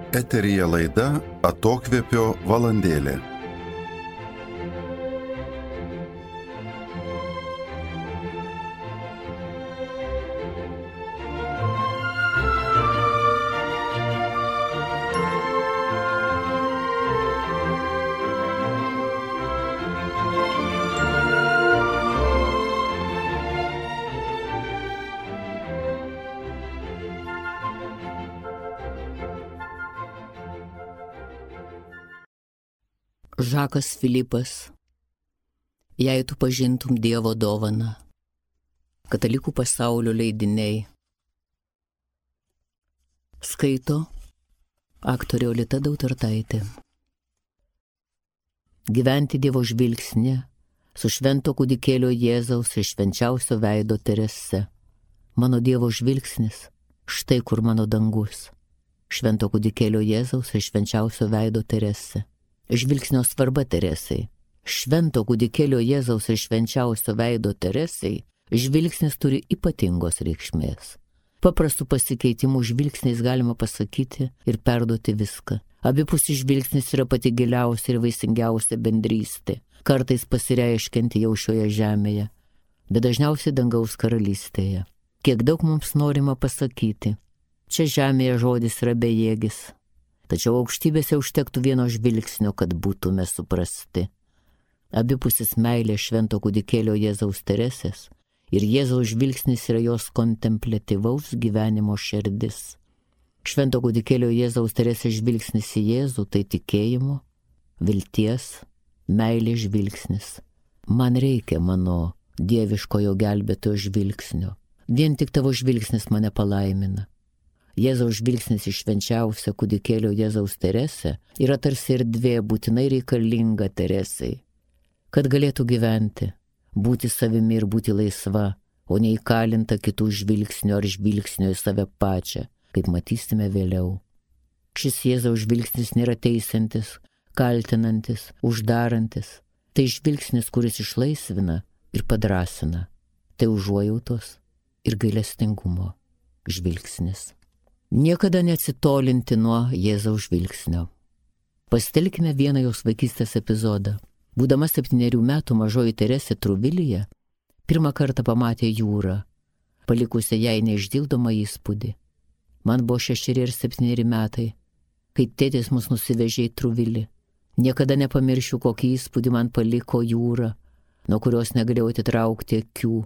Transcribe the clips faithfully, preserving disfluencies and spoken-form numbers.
Eteryje laida Atokvėpio valandėlė. Žakas Filipas, jei tu pažintum Dievo dovaną. Katalikų pasaulio leidiniai. Skaito aktorė Olita Dautartaitė. Gyventi Dievo žvilgsnį su švento kūdikėlio Jėzaus ir švenčiausio veido Terese. Mano Dievo žvilgsnis, štai kur mano dangus. Švento kūdikėlio Jėzaus ir švenčiausio veido Terese. Žvilgsnio svarba Teresei. Švento kūdikėlio Jėzaus ir švenčiausio veido Teresei žvilgsnis turi ypatingos reikšmės. Paprastų pasikeitimų žvilgsniais galima pasakyti ir perduoti viską. Abipusis žvilgsnis yra pati giliausia ir vaisingiausia bendrystė, kartais pasireiškianti jau šioje žemėje, bet dažniausiai dangaus karalystėje. Kiek daug mums norima pasakyti. Čia žemėje žodis yra bejėgis. Tačiau aukštybėse užtektų vieno žvilgsnio, kad būtume suprasti. Abipusis meilė švento kūdikėlio Jėzaus Teresės ir Jėzaus žvilgsnis yra jos kontempliatyvaus gyvenimo širdis. Švento kūdikėlio Jėzaus Teresės žvilgsnis į Jėzų tai tikėjimo, vilties, meilės žvilgsnis. Man reikia mano dieviškojo gelbėtojo žvilgsnio. Vien tik tavo žvilgsnis mane palaimina. Jėzaus žvilgsnis iš švenčiausio kūdikėlio Jėzaus Teresė yra tarsi erdvė būtinai reikalinga Teresei, kad galėtų gyventi, būti savimi ir būti laisva, o ne įkalinta kitų žvilgsnio ar žvilgsnio į save pačią, kaip matysime vėliau. Šis Jėzaus žvilgsnis nėra teisantis, kaltinantis, uždarantis. Tai žvilgsnis, kuris išlaisvina ir padrasina. Tai užuojautos ir gailestingumo žvilgsnis. Niekada neatsitolinti nuo Jėzaus žvilgsnio. Pasitelkime vieną jos vaikystės epizodą. Būdama septynerių metų mažoji Teresė Truvilyje pirmą kartą pamatė jūrą, palikusią jai neišdildomą įspūdį. Man buvo šešeri ir septyneri metai, kai tėtis mus nusivežė į Truvilį. Niekada nepamiršiu, kokį įspūdį man paliko jūra, nuo kurios negalėjau atitraukti akių,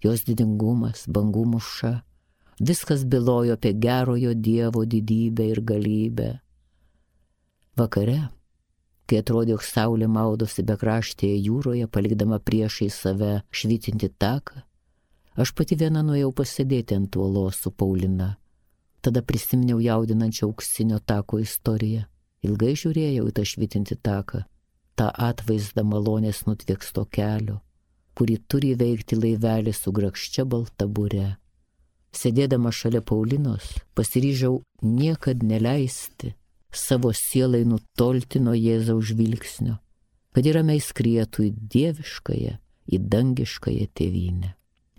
jos didingumas, bangų mūša. Viskas bylojo apie gerojo Dievo didybę ir galybę. Vakare, kai atrodė, jog saulė maudosi bekraštėje jūroje, palikdama priešai save švytinti taką, aš pati viena nuėjau pasėdėti ant uolos su Paulina. Tada prisiminiau jaudinančią auksinio tako istoriją. Ilgai žiūrėjau į tą švytinti taką, tą atvaizdą malonės nutvieksto kelio, kurį turi įveikti laivelis su grakščia balta bure. Sėdėdama šalia Paulinos, pasiryžau niekad neleisti savo sielai nutolti nuo Jėzaus žvilgsnio, kad ir ramiai skrietų į dieviškąją, į dangiškąją tėvynę.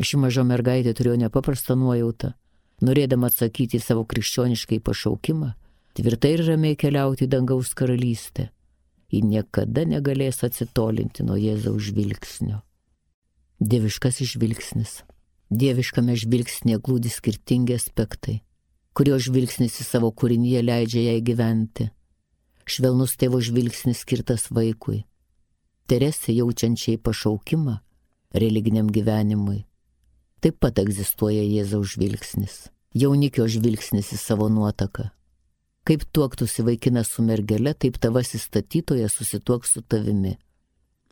Ši maža mergaitė turėjo nepaprastą nuojautą, norėdama atsakyti į savo krikščioniškai pašaukimą, tvirtai ir ramiai keliauti į dangaus karalystę. Ji niekada negalės atsitolinti nuo Jėzaus žvilgsnio. Dieviškasis žvilgsnis. Dieviškame žvilgsnėje glūdi skirtingi aspektai, kurio žvilgsnis į savo kūrinyje leidžia jai gyventi. Švelnus tėvo žvilgsnis skirtas vaikui. Teresė jaučiančiai pašaukimą religiniam gyvenimui. Taip pat egzistuoja Jėzaus žvilgsnis. Jaunikio žvilgsnis į savo nuotaką. Kaip tuoktųsi vaikinas su mergele, taip tavasis statytojas susituoks su tavimi.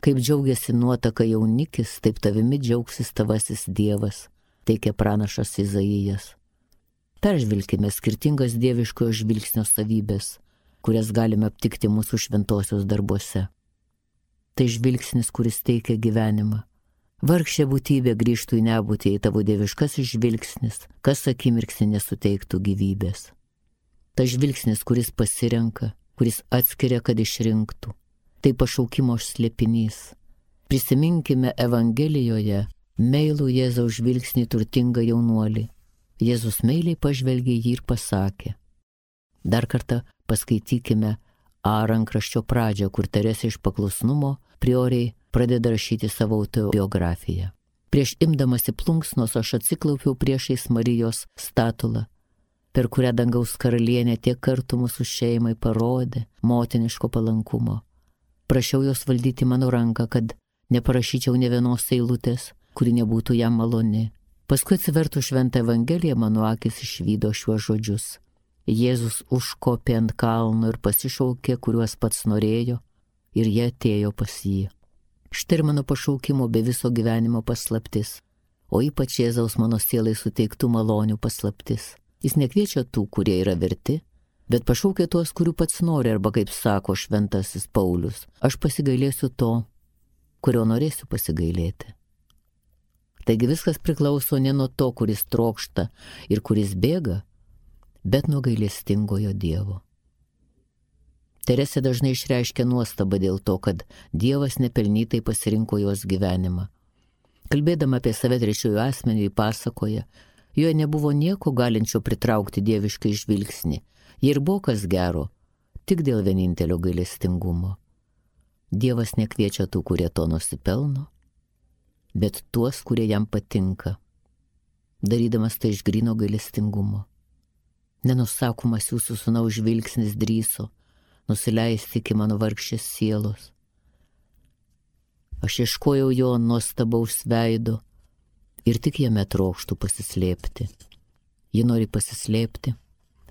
Kaip džiaugiasi nuotaka jaunikis, taip tavimi džiaugsis tavasis Dievas, teikia pranašas Izaijas. Peržvilkime skirtingas dieviškojo žvilgsnio savybės, kurias galime aptikti mūsų šventosios darbuose. Tai žvilgsnis, kuris teikia gyvenimą. Vargšė būtybė grįžtų į nebūtį, į tavo dieviškasis žvilgsnis, kas akimirksnį nesuteiktų gyvybės. Ta žvilgsnis, kuris pasirenka, kuris atskiria, kad išrinktų. Tai pašaukimo slėpinys. Prisiminkime Evangelijoje meilų Jėzaus žvilgsnį turtingą jaunuolį. Jėzus meiliai pažvelgė jį ir pasakė. Dar kartą Paskaitykime A rankraščio pradžią, kur Teresė iš paklusnumo prioriai pradeda rašyti savo autobiografiją. Prieš imdamasi plunksnos aš atsiklaupiau priešais Marijos statulą, per kurią dangaus karalienė tiek kartų mūsų šeimai parodė motiniško palankumo. Prašiau jos valdyti mano ranką, kad neparašyčiau ne vienos eilutės, kuri nebūtų jam maloni. Paskui atsivertų šventą Evangeliją, mano akis išvydo šiuos žodžius. Jėzus užkopė ant kalno ir pasišaukė, kuriuos pats norėjo, ir jie atėjo pas jį. Štai ir mano pašaukimo be viso gyvenimo paslaptis, o ypač Jėzaus mano sielai suteiktų malonių paslaptis. Jis nekviečia tų, kurie yra verti, bet pašaukia tuos, kurių pats nori, arba kaip sako šventasis Paulius, aš pasigailėsiu to, kurio norėsiu pasigailėti. Taigi viskas priklauso ne nuo to, kuris trokšta ir kuris bėga, bet nuo gailestingojo Dievo. Teresė dažnai išreiškia nuostabą dėl to, kad Dievas nepelnytai pasirinko jos gyvenimą. Kalbėdama apie save trečiųjų asmenių pasakoja, joje nebuvo nieko galinčio pritraukti dieviškai žvilgsnį. Jie ir buvo kas gero, tik dėl vienintelio gailestingumo. Dievas nekviečia tų, kurie to nusipelno, bet tuos, kurie jam patinka, darydamas tai iš gryno gailestingumo. Nenusakomas jūsų sūnaus žvilgsnis drįso nusileisti iki mano vargšės sielos. Aš ieškojau jo nuostabaus veido ir tik jame trokštų pasislėpti. Ji nori pasislėpti,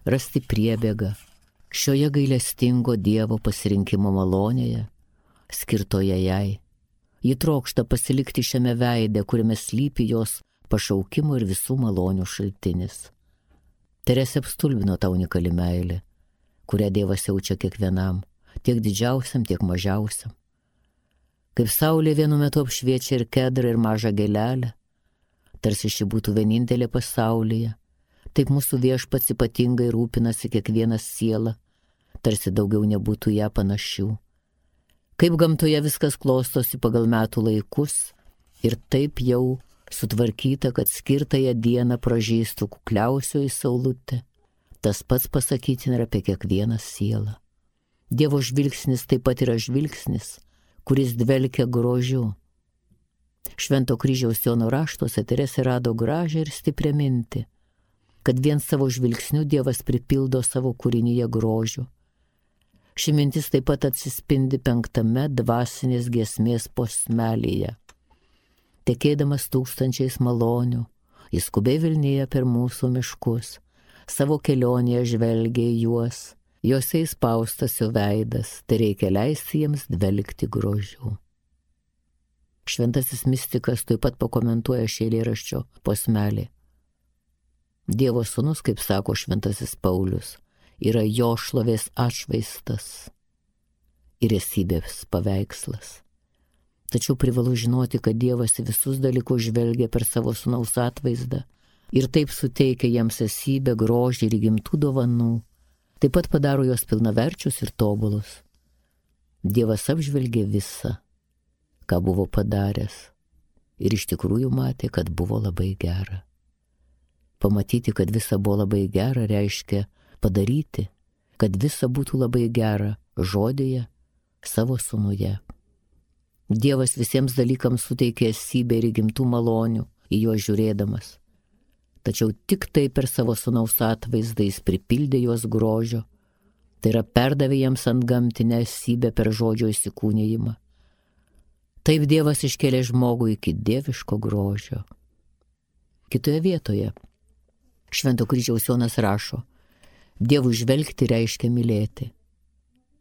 rasti priebėgą šioje gailestingo Dievo pasirinkimo malonėje, skirtoje jai. Ji trokšta pasilikti šiame veide, kuriame slypi jos pašaukimo ir visų malonių šaltinis. Teresė apstulbino tą unikali meilė, kurią Dievas jaučia kiekvienam, tiek didžiausiam, tiek mažiausiam. Kaip saulė vienu metu apšviečia ir kedrą, ir mažą gėlelę, tarsi ši būtų vienintelė pasaulyje, taip mūsų Viešpats ypatingai rūpinasi kiekvieną sielą, tarsi daugiau nebūtų ją panašių. Kaip gamtoje viskas klostosi pagal metų laikus ir taip jau sutvarkyta, kad skirtąją dieną pražystų kukliausioji saulutė. Tas pats pasakytina ir apie kiekvieną sielą. Dievo žvilgsnis taip pat yra žvilgsnis, kuris dvelkia grožiu. Švento kryžiaus Jono raštuose Teresė rado gražią ir stiprią mintį, kad vien savo žvilgsniu Dievas pripildo savo kūrinyje grožių. Ši mintis taip pat atsispindi penktame dvasinės giesmės posmelyje. Tekėdamas tūkstančiais malonių, jis skubiai vilnija per mūsų miškus, savo kelionėje žvelgia į juos, jose įspaustas jo veidas, tai reikia leisti jiems dvelkti grožiu. Šventasis mistikas taip pat pakomentuoja šį eilėraščio posmelį. Dievo sūnus, kaip sako šventasis Paulius, yra jo šlovės atšvaistas ir esybės paveikslas. Tačiau privalu žinoti, kad Dievas visus dalykus žvelgia per savo sūnaus atvaizdą ir taip suteikia jiems esybę, grožį ir įgimtų dovanų, taip pat padaro juos pilnaverčius ir tobulus. Dievas apžvelgė visą, ką buvo padaręs, ir iš tikrųjų matė, kad buvo labai gera. Pamatyti, kad visa buvo labai gera, reiškia padaryti, kad visa būtų labai gera žodėje, savo sūnuje. Dievas visiems dalykams suteikė esybę ir įgimtų malonių į juos žiūrėdamas. Tačiau tik tai per savo sūnaus atvaizdą jis pripildė juos grožio, tai yra perdavė jiems antgamtinę esybę per žodžio įsikūnijimą. Taip Dievas iškėlė žmogų iki dieviško grožio. Kitoje vietoje Švento kryžiaus Jonas rašo, Dievui žvelgti reiškia mylėti.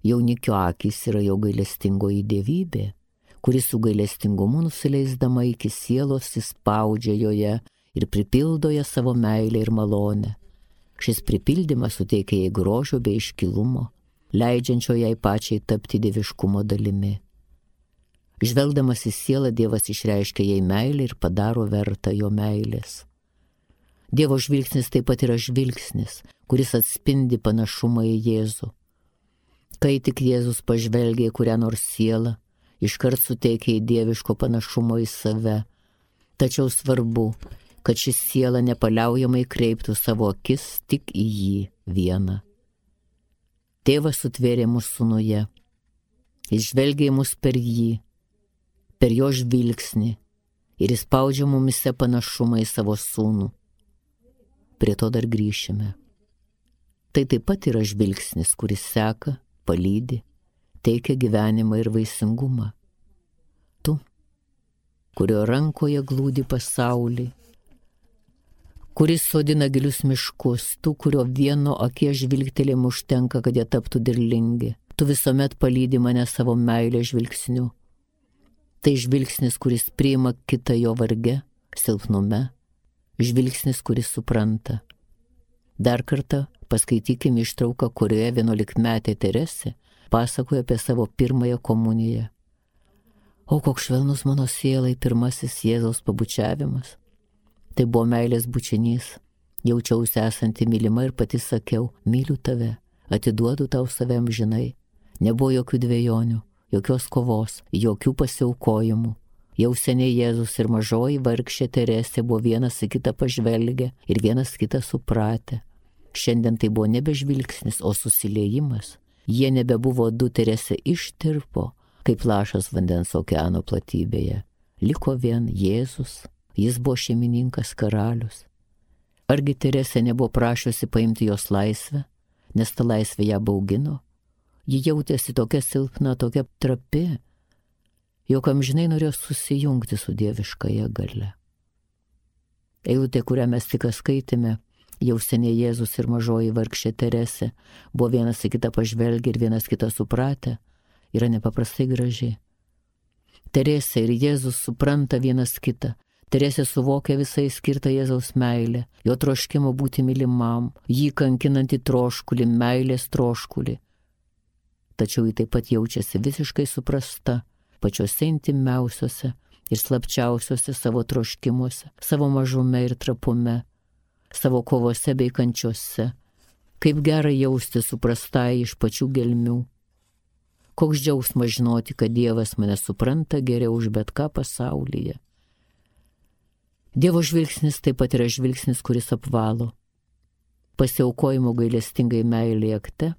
Jaunikio akys yra jo gailestingoji dievybė, kuris su gailestingumu nusileisdama iki sielos įspaudžia joje ir pripildo ją savo meilę ir malonę. Šis pripildymas suteikia jai grožio bei iškilumo, leidžiančio jai pačiai tapti dieviškumo dalimi. Žvelgdamas į sielą, Dievas išreiškia jai meilę ir padaro vertą jo meilės. Dievo žvilgsnis taip pat yra žvilgsnis, kuris atspindi panašumą į Jėzų. Kai tik Jėzus pažvelgia į kurią nors sielą, iškart suteikia į dieviško panašumo į save. Tačiau svarbu, kad ši siela nepaliaujamai kreiptų savo akis tik į jį vieną. Tėvas sutvėrė mus sūnuje. Jis žvelgia į mus per jį, per jo žvilgsnį ir įspaudžia mumise panašumą į savo sūnų. Prie to dar grįšime. Tai taip pat yra žvilgsnis, kuris seka, palydi, teikia gyvenimą ir vaisingumą. Tu, kurio rankoje glūdi pasaulį, kuris sodina gilius miškus, tu, kurio vieno akies žvilgtelėjimu užtenka, kad jie taptų derlingi. Tu visuomet palydi mane savo meilės žvilgsniu. Tai žvilgsnis, kuris priima kitą jo varge, silpnume, žvilgsnis, kuris supranta. Dar kartą paskaitykime ištrauką, kurioje vienuolikmetė Teresė pasakoja apie savo pirmąją komuniją. O koks švelnus mano sielai pirmasis Jėzaus pabučiavimas. Tai buvo meilės bučinys. Jaučiausi esanti mylima ir pati sakiau, myliu tave, atiduodu tau save amžinai. Nebuvo jokių dvejonių, jokios kovos, jokių pasiaukojimų. Jau seniai Jėzus ir mažoji vargšė Teresė buvo vienas į kitą pažvelgę ir vienas kitą supratę. Šiandien tai buvo nebe žvilgsnis, o susiliejimas. Jie nebebuvo du, Teresė ištirpo, kaip lašas vandens okeano platybėje. Liko vien Jėzus, jis buvo šeimininkas karalius. Argi Teresė nebuvo prašiusi paimti jos laisvę, nes ta laisvė ją baugino? Ji jautėsi tokia silpna, tokia trapi, jog amžinai norėjo susijungti su dieviškąja galia. Eilutė, kurią mes tik skaitėme, jau seniai Jėzus ir mažoji vargšė Teresė buvo vienas į kitą pažvelgę ir vienas kitą supratę, yra nepaprastai graži. Teresė ir Jėzus supranta vienas kitą. Teresė suvokia visai skirtą Jėzaus meilę, jo troškimo būti mylimam, jį kankinantį troškulį, meilės troškulį. Tačiau ji taip pat jaučiasi visiškai suprasta pačiuose intimiausiuose ir slapčiausiuose savo troškimuose, savo mažume ir trapume, savo kovose bei kančiuose. Kaip gera jausti suprastai iš pačių gelmių. Koks džiaugsmas žinoti, kad Dievas mane supranta geriau už bet ką pasaulyje. Dievo žvilgsnis taip pat yra žvilgsnis, kuris apvalo. Pasiaukojimo gailestingai meilė akte,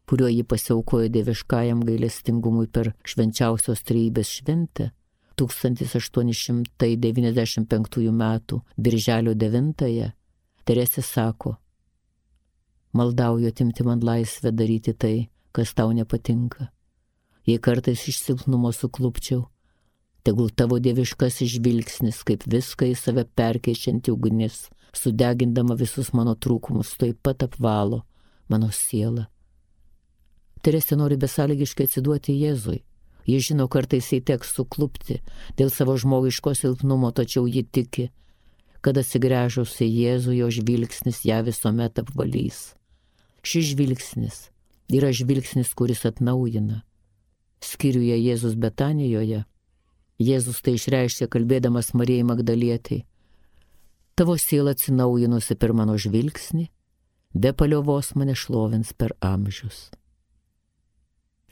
kuriuo jį pasiaukojo dieviškajam gailestingumui per švenčiausios trejybės šventę, tūkstantis aštuoni šimtai devyniasdešimt penktųjų metų birželio devintąją, Teresė sako, maldauju atimti man laisvę daryti tai, kas tau nepatinka. Jei kartais iš silpnumo suklupčiau, tegul tavo dieviškasis žvilgsnis, kaip viską į save perkeičianti ugnis, sudegindama visus mano trūkumus, taip pat apvalo mano sielą. Teresė nori besąlygiškai atsiduoti Jėzui. Jis žino, kartais jai teks suklupti dėl savo žmogiško silpnumo, tačiau ji tiki, kad atsigręžus į Jėzų, jo žvilgsnis ją visuomet apvalys. Šis žvilgsnis yra žvilgsnis, kuris atnaujina. Skyriuje Jėzus Betanijoje Jėzus tai išreiškė kalbėdamas Marijai Magdalietei. Tavo siela atsinaujinusi per mano žvilgsnį, be paliovos mane šlovins per amžius.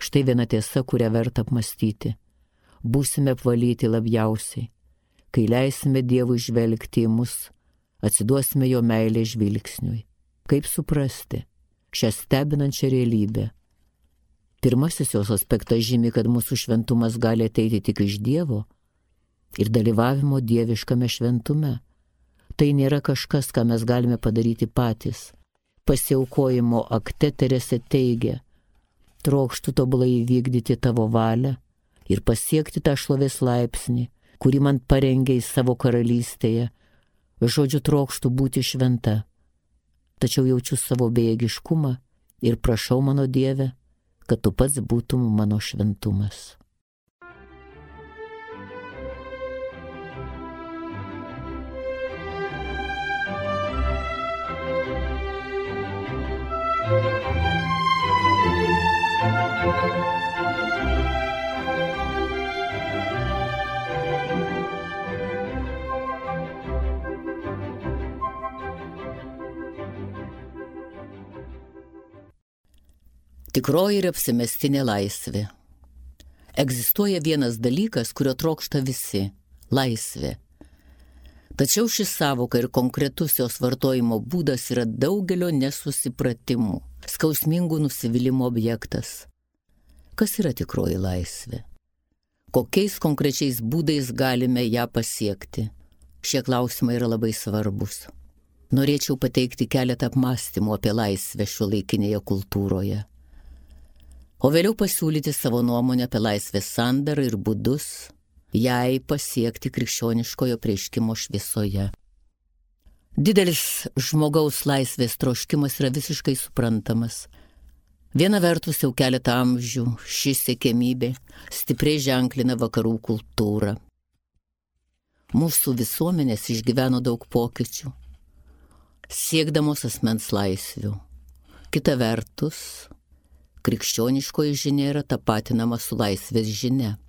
Štai viena tiesa, kurią verta apmastyti. Būsime apvalyti labiausiai, kai leisime Dievui žvelgti į mus, atsiduosime jo meilės žvilgsniui. Kaip suprasti šią stebinančią realybę? Pirmasis jos aspektas žymi, kad mūsų šventumas gali ateiti tik iš Dievo ir dalyvavimo dieviškame šventume. Tai nėra kažkas, ką mes galime padaryti patys. Pasiaukojimo akte Teresė teigia, trokštu tobulai įvykdyti tavo valią ir pasiekti tą šlovės laipsnį, kurį man parengė į savo karalystėje. Žodžiu, trokštu būti šventa. Tačiau jaučiu savo bejėgiškumą ir prašau mano Dieve, kad tu pats būtum mano šventumas. Tikroji ir apsimestinė laisvė. Egzistuoja vienas dalykas, kurio trokšta visi – laisvė. Tačiau ši savoka ir konkretus jos vartojimo būdas yra daugelio nesusipratimų, skausmingų nusivylimų objektas. Kas yra tikroji laisvė? Kokiais konkrečiais būdais galime ją pasiekti? Šie klausimai yra labai svarbus. Norėčiau pateikti keletą apmąstymų apie laisvę šiuolaikinėje kultūroje, o vėliau pasiūlyti savo nuomonę apie laisvės sandarą ir būdus jai pasiekti krikščioniškojo apreiškimo šviesoje. Didelis žmogaus laisvės troškimas yra visiškai suprantamas. Viena vertus jau keletą amžių ši siekiamybė stipriai ženklina vakarų kultūrą. Mūsų visuomenės išgyveno daug pokyčių, siekdamos asmens laisvių. Kita vertus, krikščioniškoji žinia yra tapatinama su laisvės žinia.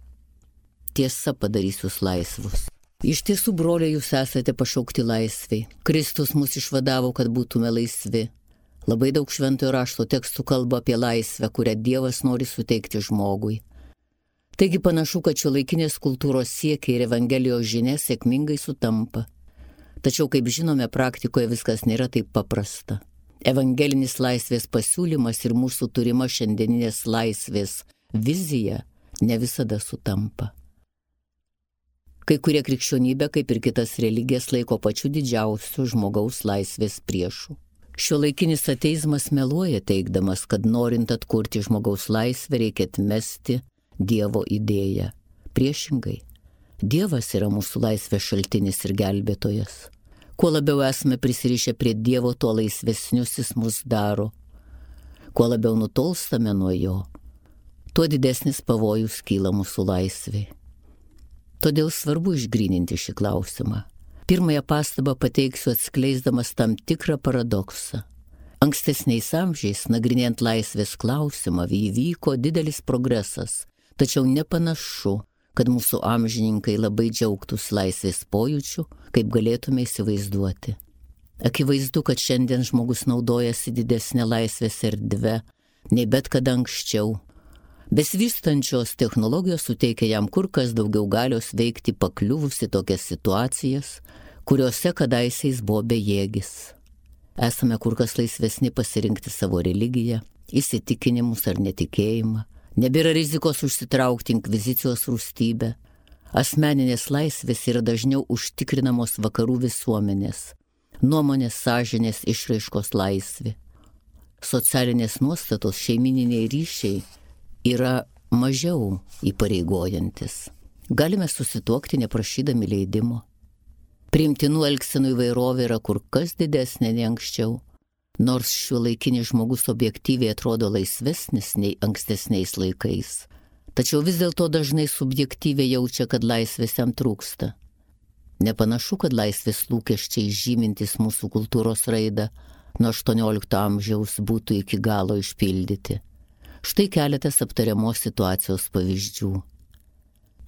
Tiesa padarys jūs laisvus. Iš tiesų, broliai, jūs esate pašaukti laisviai. Kristus mus išvadavo, kad būtume laisvi. Labai daug šventojo rašto tekstų kalba apie laisvę, kurią Dievas nori suteikti žmogui. Taigi panašu, kad šiuolaikinės kultūros siekiai ir Evangelijos žinia sėkmingai sutampa. Tačiau, kaip žinome, praktikoje viskas nėra taip paprasta. Evangelinis laisvės pasiūlymas ir mūsų turima šiandieninės laisvės vizija ne visada sutampa. Kai kurie krikščionybę, kaip ir kitas religijas, laiko pačiu didžiausiu žmogaus laisvės priešu. Šiuolaikinis ateizmas meluoja teigdamas, kad norint atkurti žmogaus laisvę reikia atmesti Dievo idėją. Priešingai, Dievas yra mūsų laisvės šaltinis ir gelbėtojas. Kuo labiau esame prisirišę prie Dievo, tuo laisvesnius jis mus daro. Kuo labiau nutolstame nuo jo, tuo didesnis pavojus kyla mūsų laisvei. Todėl svarbu išgryninti šį klausimą. Pirmąją pastabą pateiksiu atskleisdamas tam tikrą paradoksą. Ankstesniais amžiais, nagrinėjant laisvės klausimą, įvyko didelis progresas, tačiau nepanašu, kad mūsų amžininkai labai džiaugtųsi laisvės pojūčiu, kaip galėtume įsivaizduoti. Akivaizdu, kad šiandien žmogus naudojasi didesnė laisvės erdve nei bet kada anksčiau. Besivystančios technologijos suteikia jam kur kas daugiau galios veikti pakliuvus į tokias situacijas, kuriuose kadaise jis buvo bejėgis. Esame kur kas laisvesni pasirinkti savo religiją, įsitikinimus ar netikėjimą. Nebėra rizikos užsitraukti inkvizicijos rūstybę. Asmeninės laisvės yra dažniau užtikrinamos vakarų visuomenės, nuomonės, sąžinės, išraiškos laisvė. Socialinės nuostatos, šeimininiai ryšiai yra mažiau įpareigojantis. Galime susituokti neprašydami leidimo. Priimtinų elgsenų įvairovė yra kur kas didesnė nei anksčiau, nors šiuolaikinis žmogus objektyviai atrodo laisvesnis nei ankstesniais laikais. Tačiau vis dėlto dažnai subjektyviai jaučia, kad laisvės jam trūksta. Nepanašu, kad laisvės lūkesčiai žymintis mūsų kultūros raidą nuo aštuoniolikto amžiaus būtų iki galo išpildyti. Štai keletas aptariamos situacijos pavyzdžių.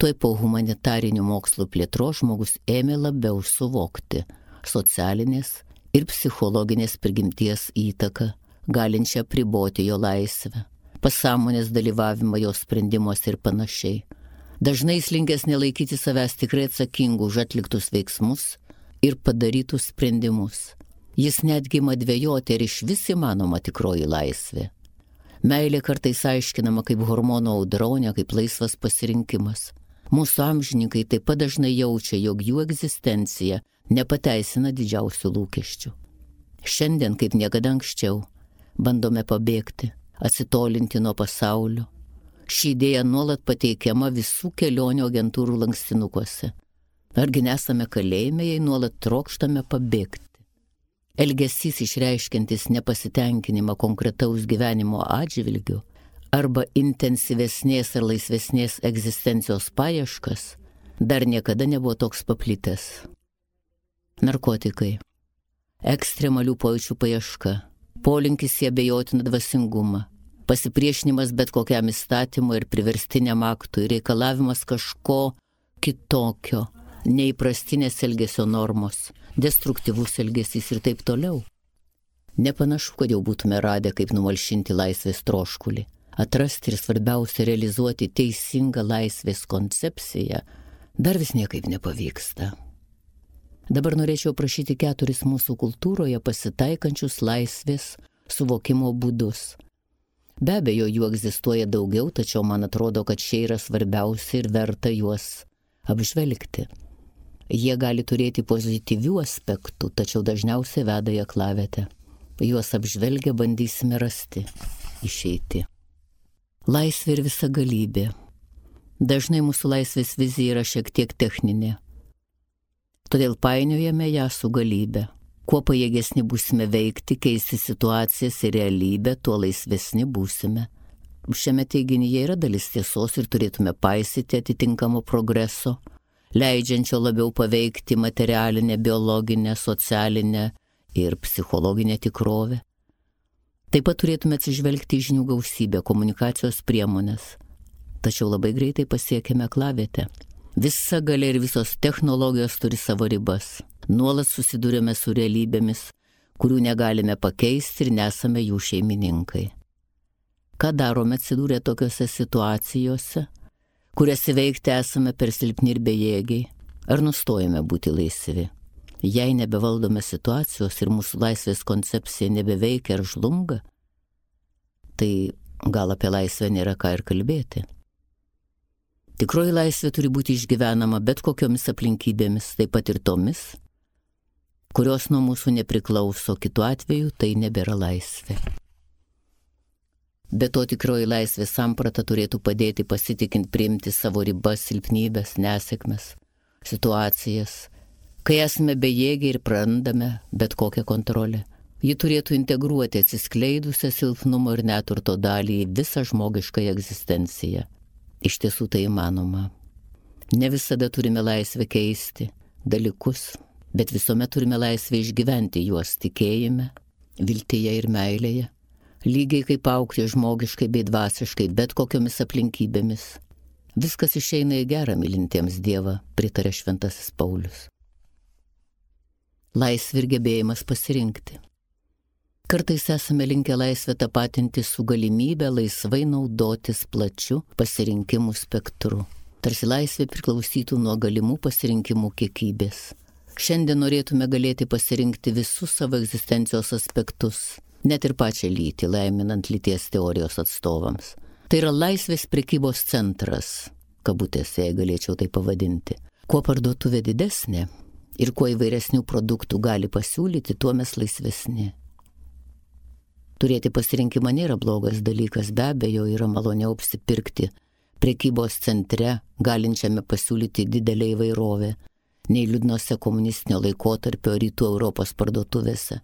Tuoj po humanitarinių mokslų plėtros žmogus ėmė labiau suvokti socialinės ir psichologinės prigimties įtaką, galinčią apriboti jo laisvę, pasąmonės dalyvavimą jo sprendimuose ir panašiai. Dažnai jis linkęs nelaikyti savęs tikrai atsakingų už atliktus veiksmus ir padarytus sprendimus. Jis netgi ima dvejoti, ar iš vis įmanoma tikroji laisvė. Meilė kartais aiškinama kaip hormonų audronė, kaip laisvas pasirinkimas. Mūsų amžininkai taip pat dažnai jaučia, jog jų egzistencija nepateisina didžiausių lūkesčių. Šiandien, kaip niekada anksčiau, bandome pabėgti, atsitolinti nuo pasaulio. Ši idėja nuolat pateikiama visų kelionių agentūrų lankstinukuose. Argi nesame kalėjime, jei nuolat trokštame pabėgti? Elgesys išreiškiantis nepasitenkinimą konkretaus gyvenimo atžvilgiu arba intensyvesnės ar laisvesnės egzistencijos paieškas dar niekada nebuvo toks paplitęs. Narkotikai, ekstremalių pojūčių paieška, polinkis į abejotiną dvasingumą, pasipriešinimas bet kokiam įstatymui ir priverstiniam aktui, reikalavimas kažko kitokio, neįprastinės elgesio normos, destruktyvus elgesys ir taip toliau. Nepanašu, kad jau būtume radę, kaip numalšinti laisvės troškulį, atrasti ir svarbiausia realizuoti teisingą laisvės koncepciją, dar vis niekaip nepavyksta. Dabar norėčiau prašyti keturis mūsų kultūroje pasitaikančius laisvės suvokimo būdus. Be abejo, jų egzistuoja daugiau, tačiau man atrodo, kad šie yra svarbiausi ir verta juos apžvelgti. Jie gali turėti pozityvių aspektų, tačiau dažniausiai veda į aklavietę. Juos apžvelgę bandysime rasti išeitį. Laisvė ir visagalybė. Dažnai mūsų laisvės vizija yra šiek tiek techninė. Todėl painiojame ją su galybė. Kuo pajėgesni būsime veikti, keisti situacijas ir realybę, tuo laisvesni būsime. Šiame teiginyje yra dalis tiesos ir turėtume paisyti atitinkamo progreso, leidžiančio labiau paveikti materialinę, biologinę, socialinę ir psichologinę tikrovę. Taip pat turėtume atsižvelgti į žinių gausybę, komunikacijos priemonės. Tačiau labai greitai pasiekėme aklavietę. Visa galia ir visos technologijos turi savo ribas. Nuolat susidurėme su realybėmis, kurių negalime pakeisti ir nesame jų šeimininkai. Ką darome atsidūrę tokiose situacijose, kurias įveikti esame per silpni ir bejėgiai? Ar nustojame būti laisvi? Jei nebevaldome situacijos ir mūsų laisvės koncepcija nebeveikia ar žlunga, tai gal apie laisvę nėra ką ir kalbėti. Tikroji laisvė turi būti išgyvenama bet kokiomis aplinkybėmis, taip pat ir tomis, kurios nuo mūsų nepriklauso, kitu atveju tai nebėra laisvė. Be to tikroji laisvės samprata turėtų padėti pasitikint priimti savo ribas, silpnybės, nesėkmes, situacijas, kai esame bejėgiai ir prarandame bet kokią kontrolę. Ji turėtų integruoti atsiskleidusią silpnumo ir neturto dalį į visą žmogiškąją egzistenciją. Iš tiesų tai įmanoma. Ne visada turime laisvę keisti dalykus, bet visuomet turime laisvę išgyventi juos tikėjime, viltyje ir meilėje, lygiai kaip augti žmogiškai bei dvasiškai bet kokiomis aplinkybėmis. Viskas išeina į gerą mylintiems Dievą, pritarė šventasis Paulius. Laisvė ir gebėjimas pasirinkti. Kartais esame linkę laisvę tapatinti su galimybė laisvai naudotis plačiu pasirinkimų spektru. Tarsi laisvė priklausytų nuo galimų pasirinkimų kiekybės. Šiandien norėtume galėti pasirinkti visus savo egzistencijos aspektus, net ir pačią lytį, laiminant lyties teorijos atstovams. Tai yra laisvės prekybos centras, kabutėse, jei galėčiau tai pavadinti. Kuo parduotuvė didesnė ir kuo įvairesnių produktų gali pasiūlyti, tuo mes laisvesni. Turėti pasirinkimą nėra blogas dalykas, be abejo yra maloniau apsipirkti prekybos centre, galinčiame pasiūlyti didelę įvairovę, nei liūdnose komunistinio laikotarpio rytų Europos parduotuvėse,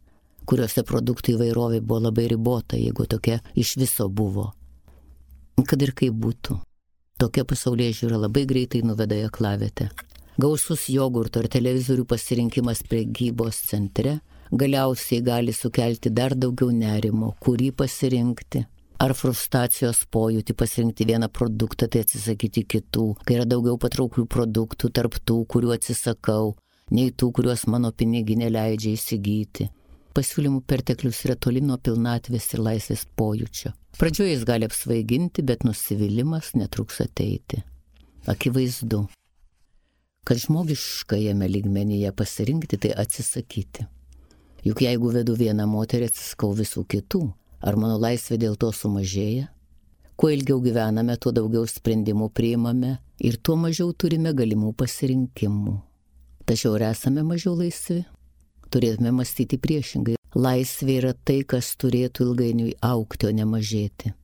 kuriuose produktų įvairovė buvo labai ribota, jeigu tokia iš viso buvo. Kad ir kaip būtų, tokia pasaulėžiūra labai greitai nuveda į aklavietę. Gausus jogurto ar televizorių pasirinkimas prekybos centre galiausiai gali sukelti dar daugiau nerimo, kurį pasirinkti. Ar frustracijos pojūtį pasirinkti vieną produktą, tai atsisakyti kitų, kai yra daugiau patrauklių produktų tarp tų, kurių atsisakau, nei tų, kuriuos mano piniginė leidžia įsigyti. Pasiūlymų perteklius yra toli nuo pilnatvės ir laisvės pojūčio. Pradžioje jis gali apsvaiginti, bet nusivylimas netruks ateiti. Akivaizdu, kad žmogiškajame lygmenyje pasirinkti tai atsisakyti. Juk jeigu vedu vieną moterį, atsisakau visų kitų, ar mano laisvė dėl to sumažėja? Kuo ilgiau gyvename, tuo daugiau sprendimų priimame ir tuo mažiau turime galimų pasirinkimų. Tačiau ar esame mažiau laisvi? Turėtume mąstyti priešingai. Laisvė yra tai, kas turėtų ilgainiui augti, o ne mažėti.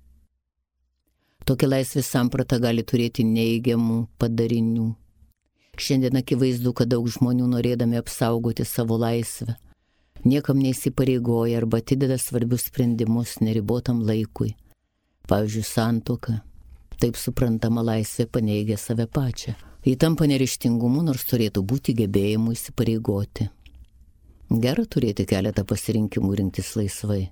Tokia laisvės samprata gali turėti neigiamų padarinių. Šiandien akivaizdu, kad daug žmonių norėdami apsaugoti savo laisvę niekam neįsipareigoja arba atideda svarbius sprendimus neribotam laikui. Pavyzdžiui, santuoka. Taip suprantama laisvė paneigia save pačią. Ji tampa neryžtingumu, nors turėtų būti gebėjimu įsipareigoti. Gera turėti keletą pasirinkimų rinktis laisvai.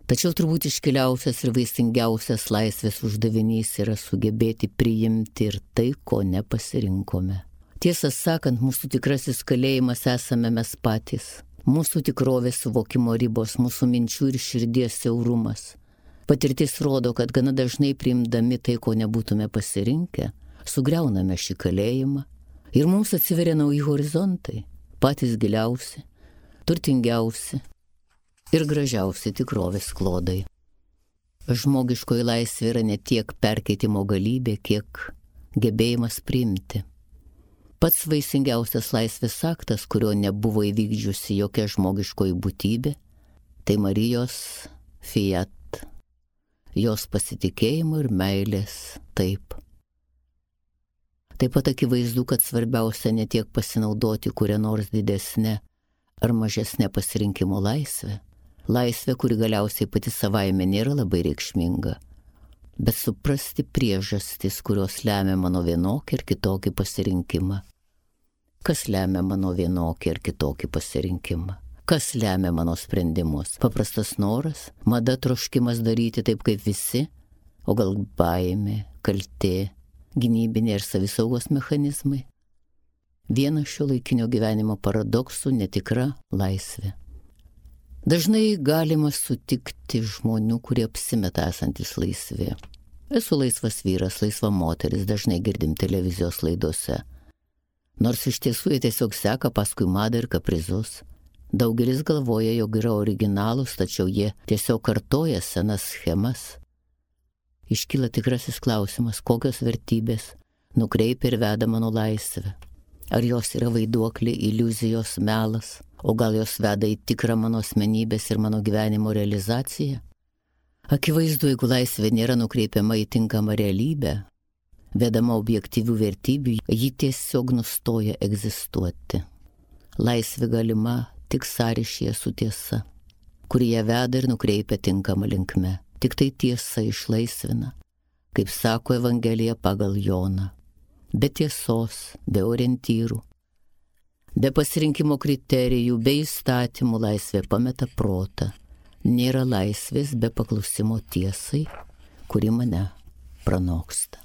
Tačiau turbūt iškiliausias ir vaisingiausias laisvės uždavinys yra sugebėti priimti ir tai, ko nepasirinkome. Tiesą sakant, mūsų tikrasis kalėjimas esame mes patys. Mūsų tikrovės suvokimo ribos, mūsų minčių ir širdies siaurumas. Patirtis rodo, kad gana dažnai priimdami tai, ko nebūtume pasirinkę, sugriauname šį kalėjimą ir mums atsiveria nauji horizontai, patys giliausi, turtingiausi ir gražiausi tikrovės klodai. Žmogiškoji laisvė yra ne tiek perkeitimo galybė, kiek gebėjimas priimti. Pats vaisingiausias laisvės aktas, kurio nebuvo įvykdžiusi jokia žmogiškoji būtybė, tai Marijos fiat, jos pasitikėjimo ir meilės taip. Taip pat akivaizdu, kad svarbiausia ne tiek pasinaudoti kuria nors didesnė ar mažesnė pasirinkimo laisvė. Laisvė, kuri galiausiai pati savaime nėra labai reikšminga, bet suprasti priežastis, kurios lemia mano vienokį ir kitokį pasirinkimą. Kas lemia mano vienokį ir kitokį pasirinkimą? Kas lemia mano sprendimus? Paprastas noras, mada, troškimas daryti taip kaip visi, o gal baimė, kaltė, gynybiniai ir savisaugos mechanizmai? Vienas šio laikinio gyvenimo paradoksų - netikra laisvė. Dažnai galima sutikti žmonių, kurie apsimeta esantis laisvi. Esu laisvas vyras, laisva moteris, dažnai girdim televizijos laidose. Nors iš tiesų jie tiesiog seka paskui madą ir kaprizus. Daugelis galvoja, jog yra originalūs, tačiau jie tiesiog kartoja senas schemas. Iškyla tikrasis klausimas, kokios vertybės nukreipia ir veda mano laisvę. Ar jos yra vaiduokliai, iliuzijos, melas, o gal jos veda į tikrą mano asmenybės ir mano gyvenimo realizaciją? Akivaizdu, jeigu laisvė nėra nukreipiama į tinkamą realybę, vedama objektyvių vertybių, ji tiesiog nustoja egzistuoti. Laisvė galima tik sąryšyje su tiesa, kuri ją veda ir nukreipia tinkamą linkme. Tik tai tiesa išlaisvina, kaip sako Evangelija pagal Joną. Be tiesos, be orientyrų, be pasirinkimo kriterijų, be įstatymų laisvė pameta protą. Nėra laisvės be paklusimo tiesai, kuri mane pranoksta.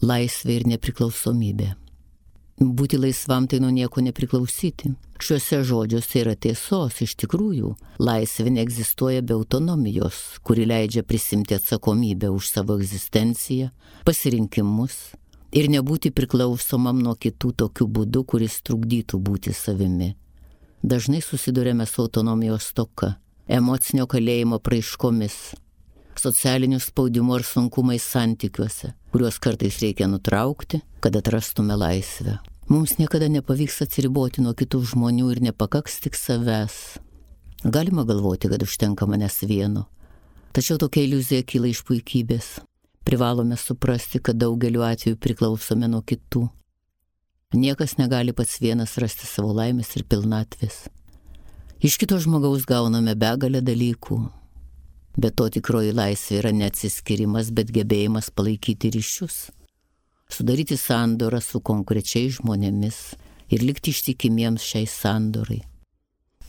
Laisvė ir nepriklausomybė. Būti laisvam tai nuo nieko nepriklausyti. Šiuose žodžiuose yra tiesos, iš tikrųjų. Laisvė neegzistuoja be autonomijos, kuri leidžia prisimti atsakomybę už savo egzistenciją, pasirinkimus ir nebūti priklausomam nuo kitų tokiu būdu, kuris trukdytų būti savimi. Dažnai susidurėme su autonomijos stoka, emocinio kalėjimo praiškomis, socialiniu spaudimu ar sunkumais santykiuose, kuriuos kartais reikia nutraukti, kad atrastume laisvę. Mums niekada nepavyks atsiriboti nuo kitų žmonių ir nepakaks tik savęs. Galima galvoti, kad užtenka manęs vieno, tačiau tokia iliuzija kyla iš puikybės. Privalome suprasti, kad daugeliu atveju priklausome nuo kitų. Niekas negali pats vienas rasti savo laimės ir pilnatvės. Iš kito žmogaus gauname begalę dalykų. Bet to tikroji laisvė yra neatsiskirimas, bet gebėjimas palaikyti ryšius, sudaryti sandorą su konkrečiais žmonėmis ir likti ištikimiems šiai sandorai.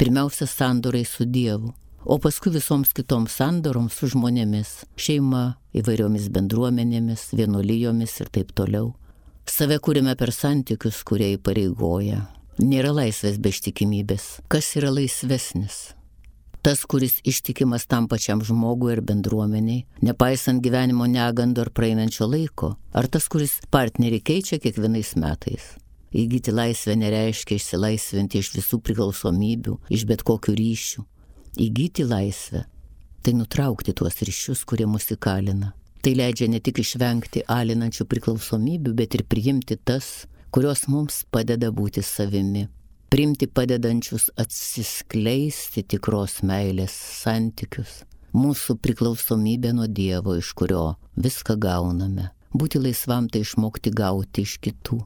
Pirmiausia, sandorai su Dievu, o paskui visoms kitoms sandoroms su žmonėmis, šeima, įvairiomis bendruomenėmis, vienuolijomis ir taip toliau. Save kūrėme per santykius, kurie įpareigoja. Nėra laisvės be ištikimybės. Kas yra laisvesnis? Tas, kuris ištikimas tam pačiam žmogui ir bendruomeniai, nepaisant gyvenimo negandų ar praeinančio laiko, ar tas, kuris partnerį keičia kiekvienais metais. Įgyti laisvę nereiškia išsilaisvinti iš visų priklausomybių, iš bet kokių ryšių. Įgyti laisvę – tai nutraukti tuos ryšius, kurie mus įkalina. Tai leidžia ne tik išvengti alinančių priklausomybių, bet ir priimti tas, kurios mums padeda būti savimi. Priimti padedančius atsiskleisti tikros meilės santykius. Mūsų priklausomybė nuo Dievo, iš kurio viską gauname. Būti laisvam tai išmokti gauti iš kitų.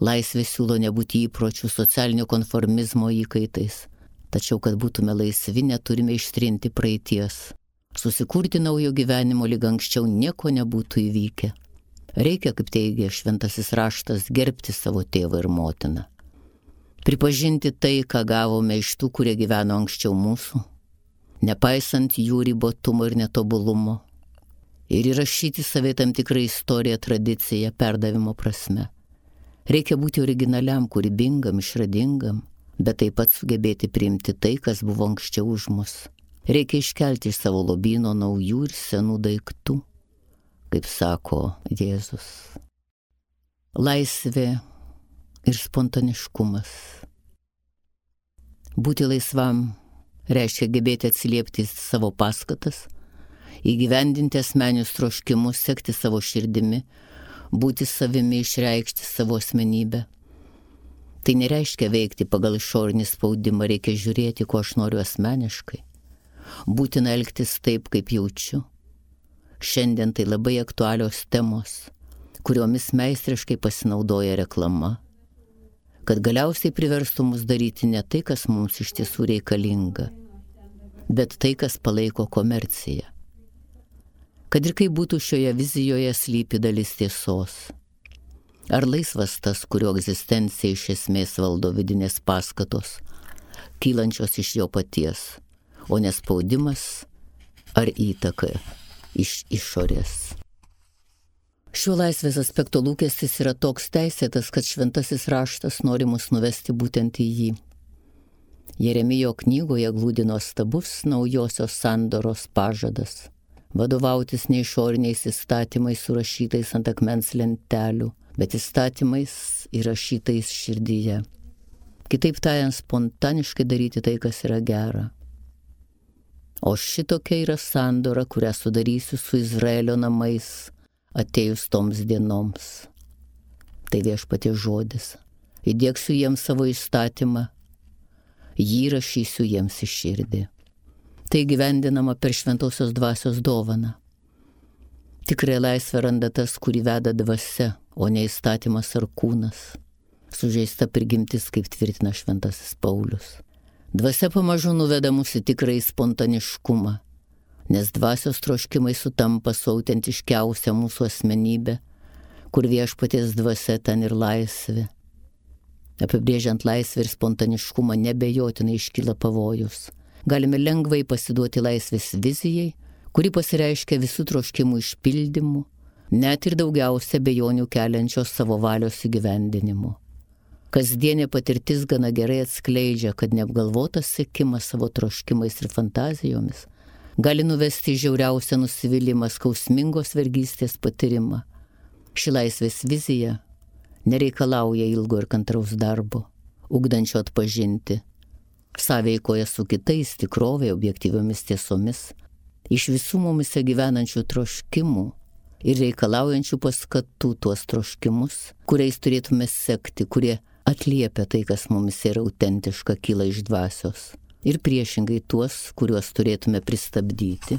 Laisvė siūlo nebūti įpročių socialinio konformizmo įkaitais. Tačiau, kad būtume laisvi, neturime ištrinti praeities. Susikurti naujo gyvenimo, lyg anksčiau nieko nebūtų įvykę. Reikia, kaip teigia šventasis raštas, gerbti savo tėvą ir motiną. Pripažinti tai, ką gavome iš tų, kurie gyveno anksčiau mūsų. nepaisant jų ribotumo ir netobulumo, ir įrašyti savai tam tikrą istoriją, tradiciją, perdavimo prasme. Reikia būti originaliam, kūrybingam, išradingam, bet taip pat sugebėti priimti tai, kas buvo anksčiau už mus. Reikia iškelti iš savo lobyno naujų ir senų daiktų, kaip sako Jėzus. Laisvė ir spontaniškumas. Būti laisvam reiškia gebėti atsiliepti savo paskatas, įgyvendinti asmeninius troškimus, sekti savo širdimi, būti savimi, išreikšti savo asmenybę. Tai nereiškia veikti pagal išorinį spaudimą, reikia žiūrėti, ko aš noriu asmeniškai. Būtina elgtis taip, kaip jaučiu. Šiandien tai labai aktualios temos, kuriomis meistriškai pasinaudoja reklama, kad galiausiai priverstų mus daryti ne tai, kas mums iš tiesų reikalinga, bet tai, kas palaiko komerciją. Kad ir kaip būtų šioje vizijoje slypi dalis tiesos. Ar laisvas tas, kurio egzistencija iš esmės valdo vidinės paskatos, kylančios iš jo paties, o nespaudimas ar įtaka iš išorės. Šiuo laisvės aspekto lūkestis yra toks teisėtas, kad šventasis raštas nori mus nuvesti būtent į jį. Jeremijo knygoje glūdi nuostabus naujosios sandoros pažadas. Vadovautis ne išoriniais įstatymais surašytais ant akmens lentelių, bet įstatymais įrašytais širdyje. Kitaip tariant, spontaniškai daryti tai, kas yra gera. O šitokia yra sandora, kurią sudarysiu su Izraelio namais, atėjus toms dienoms. Tai viešpaties žodis. Įdiegsiu jiems savo įstatymą, jį rašysiu jiems į širdį. Tai gyvendinama per šventosios dvasios dovaną. Tikrai laisvę randa tas, kurį veda dvasia, o ne įstatymas ar kūnas. Sužeista prigimtis, kaip tvirtina šventasis Paulius. Dvasia pamažu nuveda mus į tikrąjį spontaniškumą, nes dvasios troškimai sutampa su autentiškiausia mūsų asmenybė, kur viešpaties dvasia ten ir laisvė. Apibrėžiant laisvę ir spontaniškumą nebejotinai iškyla pavojus. Galime lengvai pasiduoti laisvės vizijai, kuri pasireiškia visų troškimų išpildymu, net ir daugiausia bejonių keliančios savo valios įgyvendinimu. Kasdienė patirtis gana gerai atskleidžia, kad neapgalvotas sekimas savo troškimais ir fantazijomis gali nuvesti į žiauriausią nusivylimą, skausmingos vergystės patyrimą. Ši laisvės vizija nereikalauja ilgo ir kantraus darbo, ugdančio atpažinti, sąveikoje su kitais tikrovė objektyviomis tiesomis, iš visų mumise gyvenančių troškimų ir reikalaujančių paskatų tuos troškimus, kuriais turėtume sekti, kurie atliepia tai, kas mumise yra autentiška, kyla iš dvasios. Ir priešingai tuos, kuriuos turėtume pristabdyti,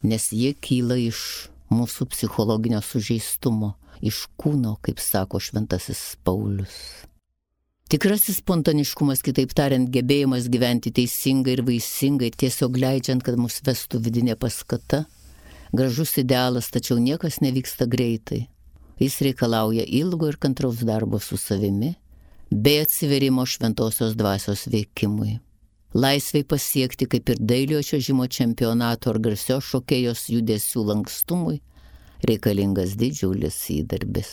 nes jie kyla iš mūsų psichologinio sužeistumo, iš kūno, kaip sako šventasis Paulius. Tikrasis spontaniškumas, kitaip tariant, gebėjimas gyventi teisingai ir vaisingai, tiesiog leidžiant, kad mus vestų vidinė paskata, gražus idealas, tačiau niekas nevyksta greitai. Jis reikalauja ilgo ir kantraus darbo su savimi, bei atsiverimo šventosios dvasios veikimui. Laisvai pasiekti, kaip ir dailiojo čiuožimo čempionato ar garsios šokėjos judesių lankstumui, reikalingas didžiulis įdarbis.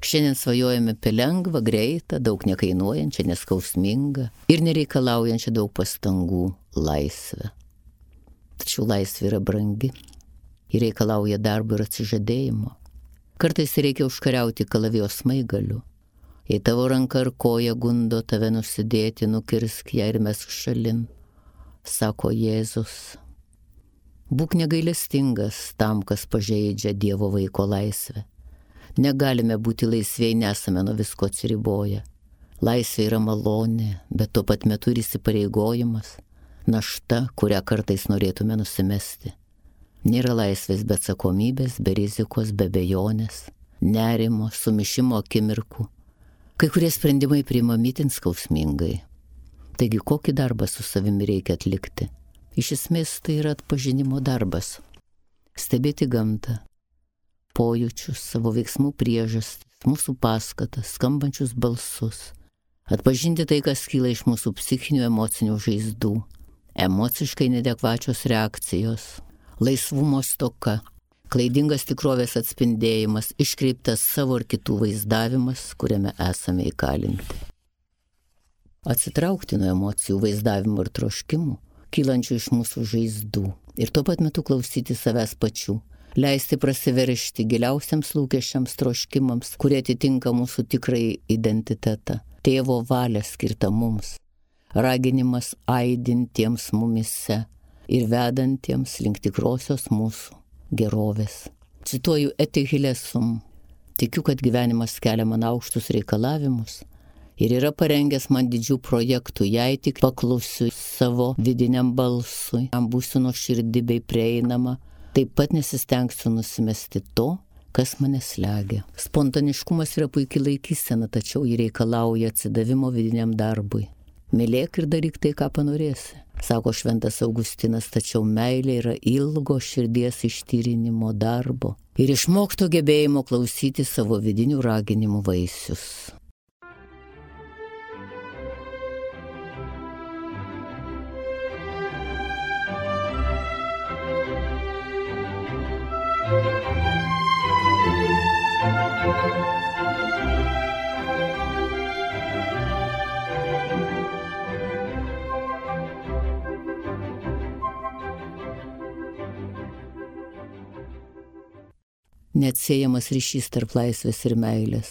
Šiandien svajojame apie lengvą, greitą, daug nekainuojančią, neskausmingą ir nereikalaujančią daug pastangų laisvę. Tačiau laisvė yra brangi ir reikalauja darbo ir atsižadėjimo. Kartais reikia užkariauti kalavijos smaigaliu. Jei tavo ranka ar koja gundo tave nusidėti, nukirsk ją ir mesk šalin, sako Jėzus. Būk negailestingas tam, kas pažeidžia Dievo vaiko laisvę. Negalime būti laisviai, nesame nuo visko atsiriboję. Laisvė yra malonė, bet tuo pat metu ir įsipareigojimas, našta, kurią kartais norėtume nusimesti. Nėra laisvės be atsakomybės, be rizikos, be abejonės, nerimo, sumišimo akimirkų. Kai kurie sprendimai priimami itin skausmingai. Taigi, kokį darbą su savimi reikia atlikti? Iš esmės tai yra atpažinimo darbas. Stebėti gamtą, pojūčius, savo veiksmų priežastis, mūsų paskatas, skambančius balsus. Atpažinti tai, kas kyla iš mūsų psichinių emocinių žaizdų. emociškai neadekvačios reakcijos, laisvumo stoka, klaidingas tikrovės atspindėjimas, iškreiptas savo ir kitų vaizdavimas, kuriame esame įkalinti. Atsitraukti nuo emocijų, vaizdavimų ir troškimų, kylančių iš mūsų žaizdų, ir tuo pat metu klausyti savęs pačių, leisti prasiveršti giliausiams lūkesčiams, troškimams, kurie atitinka mūsų tikrąjį identitetą, tėvo valią skirtą mums, raginimas aidintiems mumise ir vedantiems link tikrosios mūsų gerovės. Cituoju Etihilesum: tikiu, kad gyvenimas kelia man aukštus reikalavimus ir yra parengęs man didžių projektų, jei tik paklusiu savo vidiniam balsui, man būsiu nuoširdi bei prieinama, taip pat nesistengsiu nusimesti to, kas mane slegia. Spontaniškumas yra puikiai laikysena, tačiau jį reikalauja atsidavimo vidiniam darbui. Mylėk ir daryk tai, ką panorėsi, sako šventas Augustinas, tačiau meilė yra ilgo širdies ištyrinimo darbo ir išmokto gebėjimo klausyti savo vidinių raginimų vaisius. Neatsiejamas ryšys tarp laisvės ir meilės.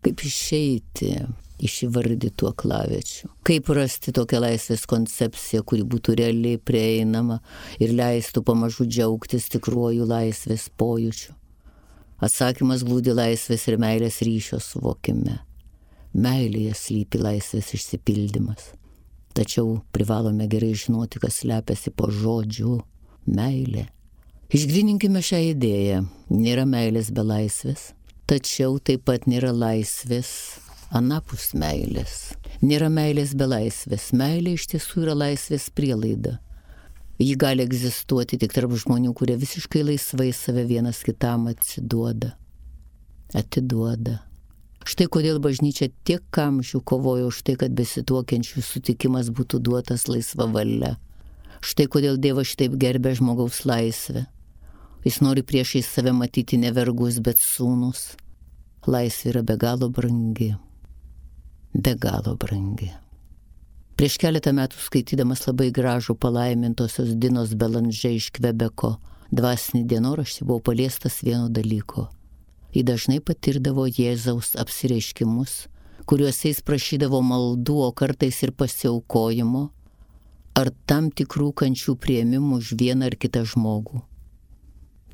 Kaip išeiti iš įvardytų aklaviečių? Kaip rasti tokią laisvės koncepciją, kuri būtų realiai prieinama ir leistų pamažu džiaugtis tikruoju laisvės pojūčiu? Atsakymas glūdi laisvės ir meilės ryšio suvokime. Meilėje slypi laisvės išsipildymas. Tačiau privalome gerai žinoti, kas slepiasi po žodžiu meilė. Išgrininkime šią idėją. Nėra meilės be laisvės, tačiau taip pat nėra laisvės anapus meilės. Nėra meilės be laisvės. Meilė iš tiesų yra laisvės prielaida. Ji gali egzistuoti tik tarp žmonių, kurie visiškai laisvai save vienas kitam atsiduoda. Atiduoda. Štai kodėl bažnyčia tiek amžių kovojo už tai, kad besituokiančių sutikimas būtų duotas laisva valia. Štai kodėl Dievas šitaip gerbia žmogaus laisvę. Jis nori priešais save matyti ne vergus, bet sūnus. Laisvė yra be galo brangi. Be galo brangi. Prieš keletą metų skaitydamas labai gražų palaimintosios Dinos Belandžė iš Kvebeko dvasinį dienoraštį buvau paliestas vieno dalyko. Ji dažnai patirdavo Jėzaus apsireiškimus, kuriuose jis prašydavo maldų, o kartais ir pasiaukojimo, ar tam tikrų kančių priėmimų už vieną ar kitą žmogų.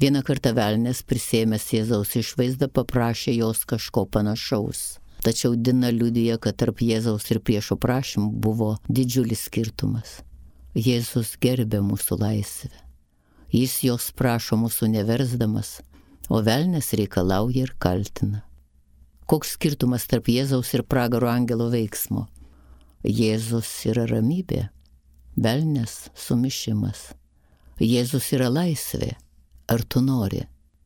Vieną kartą velnias, prisėmęs Jėzaus išvaizdą, paprašė jos kažko panašaus. Tačiau Dina liudija, kad tarp Jėzaus ir priešo prašymų buvo didžiulis skirtumas. Jėzus gerbė mūsų laisvę. Jis jos prašo mūsų neversdamas, o velnias reikalauja ir kaltina. Koks skirtumas tarp Jėzaus ir pragaro angelo veiksmo? Jėzus yra ramybė, velnias sumišimas. Jėzus yra laisvė. Ar tu nori?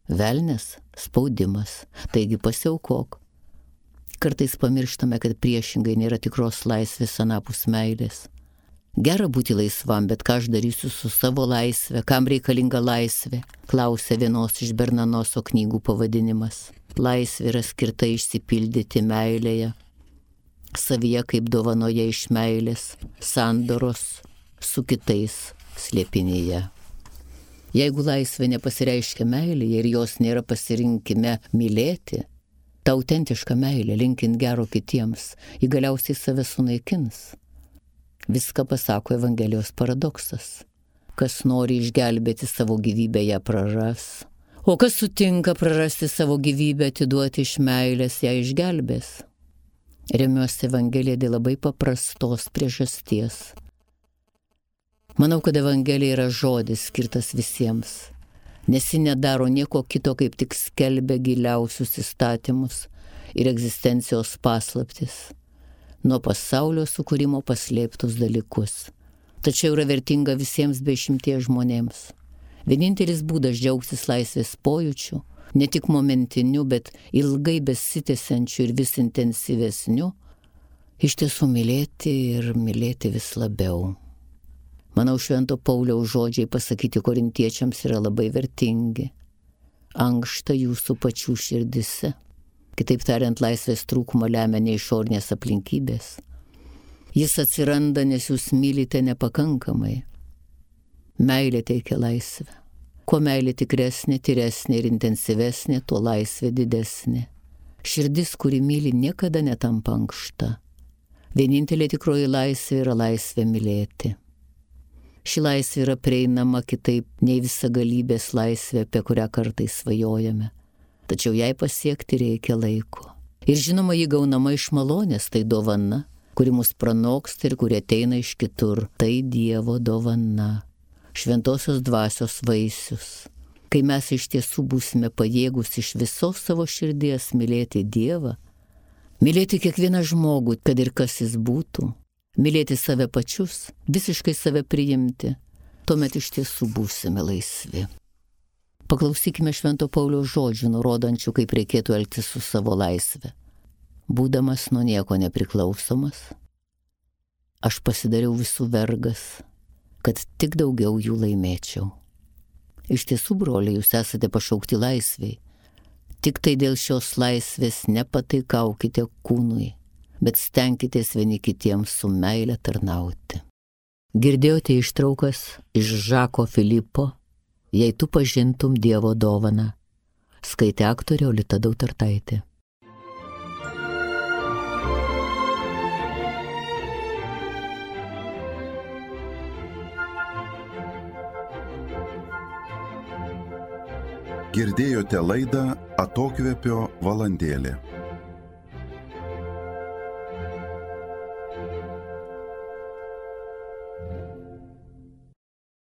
Velnias spaudimas. Taigi pasiaukok. Kartais pamirštame, kad priešingai nėra tikros laisvės anapus meilės. Gera būti laisvam, bet ką aš darysiu su savo laisvė? Kam reikalinga laisvė? Klausia vienos iš Bernanoso knygų pavadinimas. Laisvė yra skirta išsipildyti meilėje, savyje kaip dovanoje iš meilės, sandoros su kitais slėpinyje. Jeigu laisvė nepasireiškia meilėje ir jos nėra pasirinkime mylėti, ta autentiška meilė, linkint gero kitiems, ji galiausiai save sunaikins. Viską pasako Evangelijos paradoksas. Kas nori išgelbėti savo gyvybę, ją praras. O kas sutinka prarasti savo gyvybę, atiduoti iš meilės, ją išgelbės. Remiuosi Evangeliją dėl labai paprastos priežasties. Manau, kad Evangelija yra žodis skirtas visiems, nes ji nedaro nieko kito, kaip tik skelbia giliausius įstatymus ir egzistencijos paslaptis, nuo pasaulio sukūrimo paslėptus dalykus. Tačiau yra vertinga visiems be išimties žmonėms. Vienintelis būdas džiaugtis laisvės pojūčiu, ne tik momentiniu, bet ilgai besitęsiančiu ir vis intensyvesniu, iš tiesų mylėti ir mylėti vis labiau. Manau, Švento Pauliaus žodžiai pasakyti korintiečiams yra labai vertingi. Ankšta jūsų pačių širdise. Kitaip tariant, laisvės trūkumą lemia ne išorinės aplinkybės. Jis atsiranda, nes jūs mylite nepakankamai. Meilė teikia laisvę. Kuo meilė tikresnė, tyresnė ir intensyvesnė, tuo laisvė didesnė. Širdis, kuri myli, niekada netampa ankšta. Vienintelė tikroji laisvė yra laisvė mylėti. Ši laisvė yra prieinama kitaip nei visagalybės laisvė, apie kurią kartais svajojame. Tačiau jai pasiekti reikia laiko. Ir žinoma, ji gaunama iš malonės, tai dovana, kuri mus pranoksta ir kuri ateina iš kitur. Tai Dievo dovana, šventosios dvasios vaisius. Kai mes iš tiesų būsime pajėgus iš visos savo širdies mylėti Dievą, mylėti kiekvieną žmogų, kad ir kas jis būtų, mylėti save pačius, visiškai save priimti, tuomet iš tiesų būsime laisvi. Paklausykime Švento Pauliaus žodžių, nurodančių, kaip reikėtų elgtis su savo laisve. Būdamas nuo nieko nepriklausomas, aš pasidariau visų vergas, kad tik daugiau jų laimėčiau. Iš tiesų, broliai, jūs esate pašaukti laisviai. Tik tai dėl šios laisvės nepataikaukite kūnui, bet stenkitės vieni kitiems su meile tarnauti. Girdėjote ištraukas iš Žako Filipo Jei tu pažintum Dievo dovaną. Skaitė aktorė Olita Dautartaitė. Girdėjote laidą Atokvėpio valandėlė.